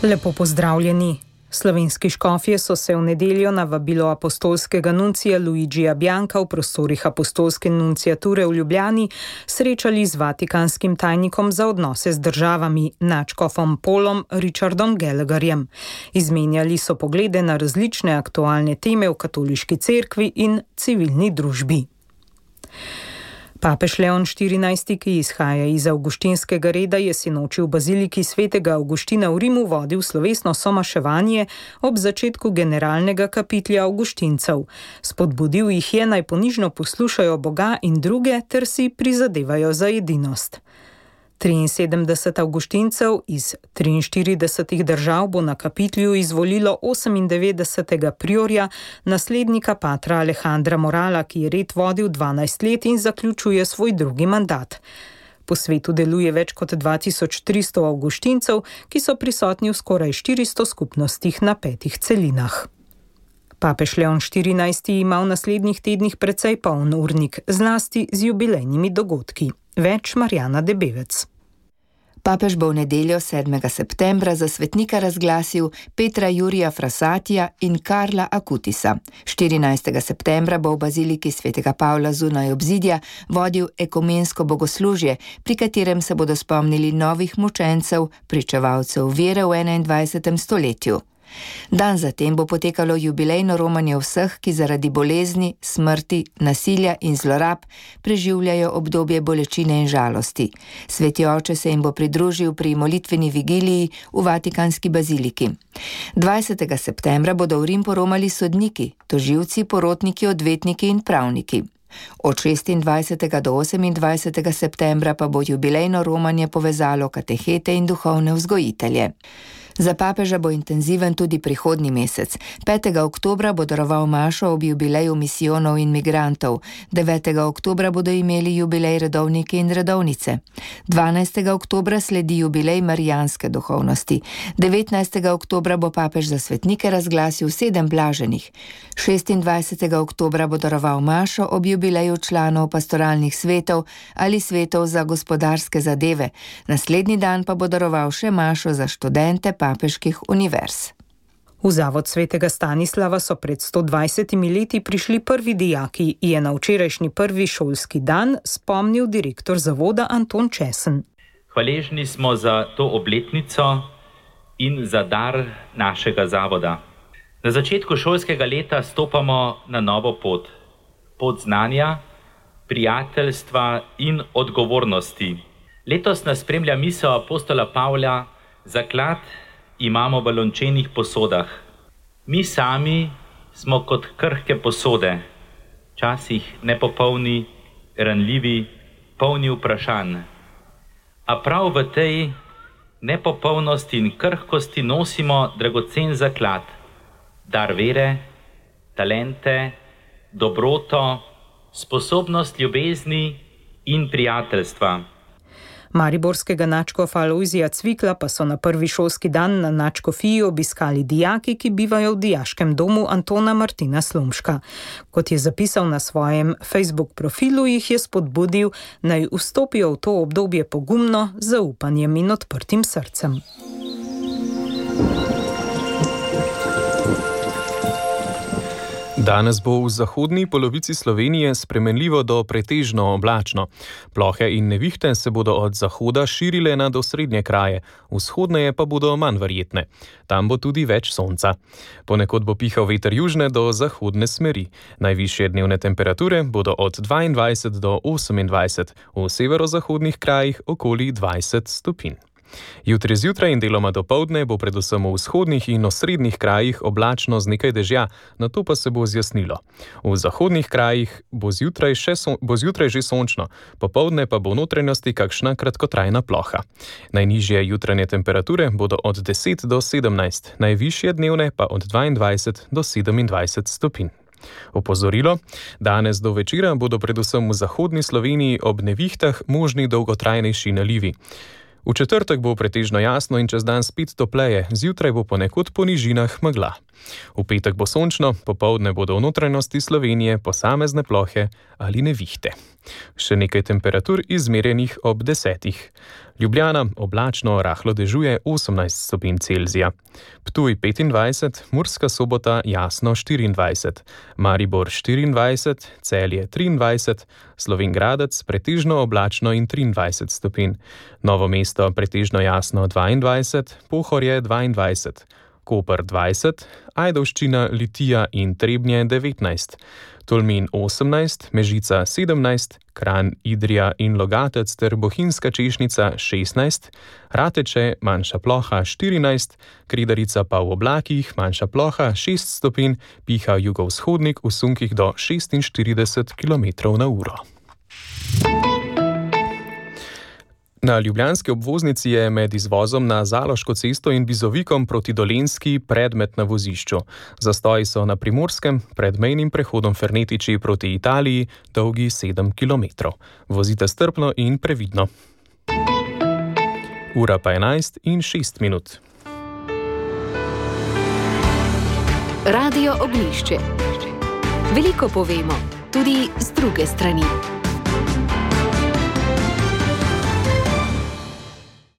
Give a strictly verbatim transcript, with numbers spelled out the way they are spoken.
Lepo pozdravljeni. Slovenski škofje so se v nedeljo na vabilo apostolskega nuncija Luigija Bianca v prostorih apostolske nunciature v Ljubljani srečali z vatikanskim tajnikom za odnose z državami, nadškofom Paulom Richardom Gallagherjem. Izmenjali so poglede na različne aktualne teme v katoliški cerkvi in civilni družbi. Papež Leon štirinajsti, ki izhaja iz avguštinskega reda, je sinoči v baziliki svetega Avguština v Rimu vodil slovesno somaševanje ob začetku generalnega kapitlja avguštincev. Spodbudil jih je, naj ponižno poslušajo Boga in druge ter si prizadevajo za edinost. triinsedemdeset avguštincev iz triinštiridesetih držav bo na kapitlju izvolilo osemindevetdesetega priorja, naslednika patra Alejandra Morala, ki je red vodil dvanajst let in zaključuje svoj drugi mandat. Po svetu deluje več kot dva tisoč tristo avguštincev, ki so prisotni v skoraj štiristo skupnostih na petih celinah. Papež Leon štirinajsti ima v naslednjih tednih precej poln urnik, zlasti z jubilejnimi dogodki. Več Marjana Debevec. Papež bo v nedeljo sedmega septembra za svetnika razglasil Petra Jurija Frassatija in Karla Akutisa. štirinajstega septembra bo v baziliki svetega Pavla zunaj obzidja vodil ekumensko bogoslužje, pri katerem se bodo spomnili novih mučencev, pričevalcev vere v enaindvajsetem stoletju. Dan zatem bo potekalo jubilejno romanje vseh, ki zaradi bolezni, smrti, nasilja in zlorab preživljajo obdobje bolečine in žalosti. Sveti oče se jim bo pridružil pri molitveni vigiliji v Vatikanski baziliki. dvajsetega septembra bodo v Rim poromali sodniki, tožilci, porotniki, odvetniki in pravniki. Od šestindvajsetega do osemindvajsetega septembra pa bo jubilejno romanje povezalo katehete in duhovne vzgojitelje. Za papeža bo intenziven tudi prihodnji mesec. petega oktobra bo daroval mašo ob jubileju misijonov in migrantov. devetega oktobra bodo imeli jubilej redovniki in redovnice. dvanajstega oktobra sledi jubilej marijanske duhovnosti. devetnajstega oktobra bo papež za svetnike razglasil sedem blaženih. šestindvajsetega oktobra bo daroval mašo ob jubileju članov pastoralnih svetov ali svetov za gospodarske zadeve. Naslednji dan pa bo daroval še mašo za študente papeških univerz. V Zavod svetega Stanislava so pred sto dvajsetimi leti prišli prvi dijaki, je na včerajšnji prvi šolski dan spomnil direktor zavoda Anton Česen. Hvaležni smo za to obletnico in za dar našega zavoda. Na začetku šolskega leta stopamo na novo pot. Pot znanja, prijateljstva in odgovornosti. Letos nas spremlja misel apostola Pavla: zaklad imamo v lončenih posodah. Mi sami smo kot krhke posode, včasih nepopolni, ranljivi, polni vprašanj. A prav v tej nepopolnosti in krhkosti nosimo dragocen zaklad, dar vere, talente, dobroto, sposobnost ljubezni in prijateljstva. Mariborskega nadškofa Alojzija Cvikla pa so na prvi šolski dan na nadškofiji obiskali dijaki, ki bivajo v dijaškem domu Antona Martina Slomška. Kot je zapisal na svojem Facebook profilu, jih je spodbudil, naj vstopijo v to obdobje pogumno, z zaupanjem in odprtim srcem. Danes bo v zahodni polovici Slovenije spremenljivo do pretežno oblačno. Plohe in nevihte se bodo od zahoda širile nad osrednje kraje, vzhodneje pa bodo manj verjetne. Tam bo tudi več sonca. Ponekod bo pihal veter južne do zahodne smeri. Najvišje dnevne temperature bodo od dvaindvajset do osemindvajset, v severozahodnih krajih okoli dvajset stopinj. Jutri zjutraj in deloma dopoldne bo predvsem v vzhodnih in osrednjih krajih oblačno z nekaj dežja, nato pa se bo zjasnilo. V zahodnih krajih bo zjutraj, še son, bo zjutraj že sončno, popoldne pa bo v notranjosti kakšna kratkotrajna ploha. Najnižje jutranje temperature bodo od deset do sedemnajst, najvišje dnevne pa od dvaindvajset do sedemindvajset stopinj. Opozorilo: danes do večera bodo predvsem v zahodni Sloveniji ob nevihtah možni dolgotrajnejši nalivi. V četrtek bo pretežno jasno in čez dan spet topleje, zjutraj bo ponekod po nižinah megla. V petek bo sončno, popoldne bodo v notranjosti Slovenije posamezne plohe ali nevihte. Še nekaj temperatur izmerjenih ob desetih. Ljubljana oblačno rahlo dežuje osemnajst stopinj Celzija. Ptuj petindvajset, Murska Sobota jasno štiriindvajset, Maribor štiriindvajset, Celje triindvajset, Slovenj Gradec pretežno oblačno in triindvajset stopinj, Novo mesto pretežno jasno dvaindvajset, Pohorje dvaindvajset, Koper dvajset, Ajdovščina, Litija in Trebnje devetnajst, Tolmin osemnajst, Mežica sedemnajst, Kranj, Idrija in Logatec ter Bohinjska Češnica šestnajst, Rateče manjša ploha štirinajst, Kredarica pa v oblakih manjša ploha šest stopinj, piha jugovzhodnik v sunkih do šestinštirideset kilometrov na uro. Na ljubljanski obvoznici je med izvozom na Zaloško cesto in Bizovikom proti Dolenjski predmet na vozišču. Zastoji so na Primorskem pred mejnim prehodom Fernetiči proti Italiji dolgi sedem kilometrov. Vozite strpno in previdno. Ura pa enajst in šest minut. Radio Oglišče. Veliko povemo, tudi z druge strani.